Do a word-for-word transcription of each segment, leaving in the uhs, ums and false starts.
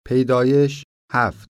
پیدایش هفت.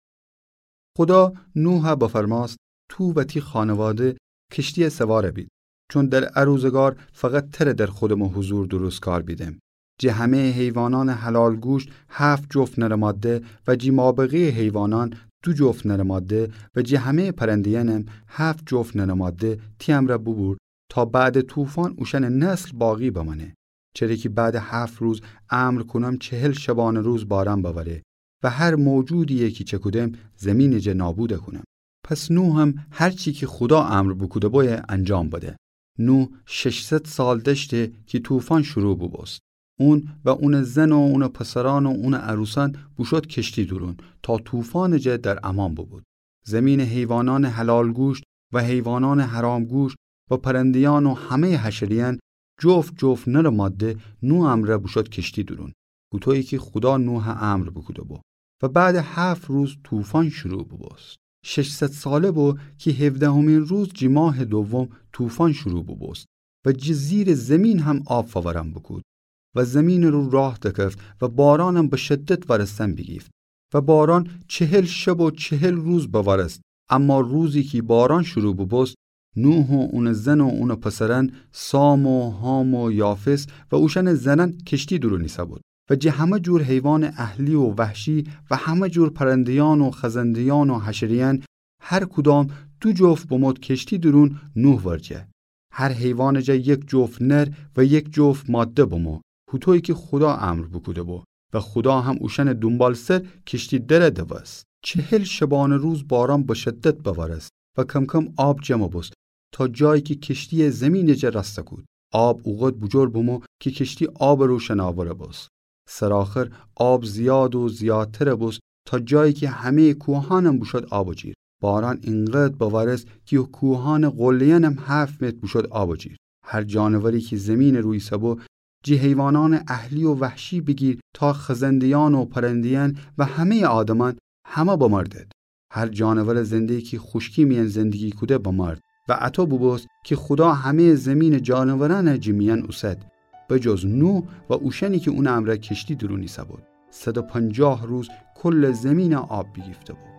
خودا نوحَ بفرمأست: تو و تی خانواده کشتیَ سوارَ بید، چون در ا روزگار فقط تره در خودٚ مو حضور درستکار بیدم. جٚه همه‌یٚ حیوانأنٚ حلال گوشت هفت جفت نرٚ ماده و جٚه مابقی‌یٚ حیوانأن دو جفت نرٚ ماده و جٚه همه‌یٚ پرنده‌یأنم هفت جفت نرٚ ماده تی امرأ بوبور، تا بعدٚ طوفان اوشأنٚ نسل باقی بمأنه. چره کی بعدٚ هفت روز امر کونم چهل شبانه روز بارأن بأوره و هر موجودی‌یی کی چکودم زمینٚ جا نابودَ کونم. پس نوحم هر چی کی خودا امر بوکوده بویه انجام بده. نوح ششصد سال دأشته کی طوفان شروع بوبوست. اون و اونٚ زن و اونٚ پسرأن و اونٚ عروسأن بوشود کشتی دورون، تا طوفانٚ جا در امأن بوبود. زمینٚ حیوانأنٚ حلال گوشت و حیوانأنٚ حرام گوشت و پرنده‌یأن و همه‌یٚ حشره‌یأن جفت جفت نرٚ ماده نوح امرأ بوشود کشتی دورون، هوطویی کی خودا نوحَ امر بوکوده بو. و بعدٚ هفت روز طوفان شروع بوبوست. ششصد ساله بو کی هفدهمین روز جٚه ماهٚ دوم طوفان شروع بوبوست و جٚه زیرٚ زمین هم آب فورأن بوکود و زمینٚ رو راه دکفت و بارأنم به شدت وأرستن بیگیفت. و بارأن چهل شب و چهل روز بوأرست. اما روزی کی بارأن شروع بوبوست، نوح و اونٚ زن و اونٚ پسرأن، سام و حام و یافث و اوشأنٚ زنأن کشتی دورون ایسه‌بود و جٚه همه جور حیوانٚ اهلی و وحشی و همه جور پرنده‌یأن و خزنده‌یأن و حشره‌یأن هر کدام دو جفت بمود کشتی دورون نوح ورجه. هر حیوانٚ جا یک جفت نر و یک جفت ماده بمو، هوطویی کی خودا امر بوکوده بو. و خودا هم اوشأنٚ دونبالسر کشتی دره دوست. چهل شبانه روز بارأن به شدت بوأرست و کم‌کم آب جمع بوست، تا جایی کی کشتی‌یه زمینٚ جا رأسته کود. آب اوقد بوجور بمو کی کشتی آبٚ رو شناوره بوست. سرآخر آب زیاد و زیادتره بوست، تا جایی کی همه‌یٚ کوهأنم بوشود آبٚ جیر. بارأن اینقدر بوأرست کی کوهأنٚ قله‌یأنم هفت متر بوشود آبٚ جیر. هر جانوری کی زمینٚ رو ایسه‌بو، جٚه حیوانأنٚ اهلی و وحشی بیگیر تا خزنده‌یأن و پرنده‌یأن و همه‌یٚ آدمأن، همه بمردد. هر جانورٚ زنده کی خوشکی میأن زندگی کوده بمرد. و اطو بوبوست کی خودا همه‌یٚ زمینٚ جانورأنَ جٚه میأن اوسد، بجز نوح و اوشأنی کی اونٚ امرأ کشتی دورون ایسه‌بود. صد و پنجاه روز کلٚ زمینَ آب بیگیفته‌بو.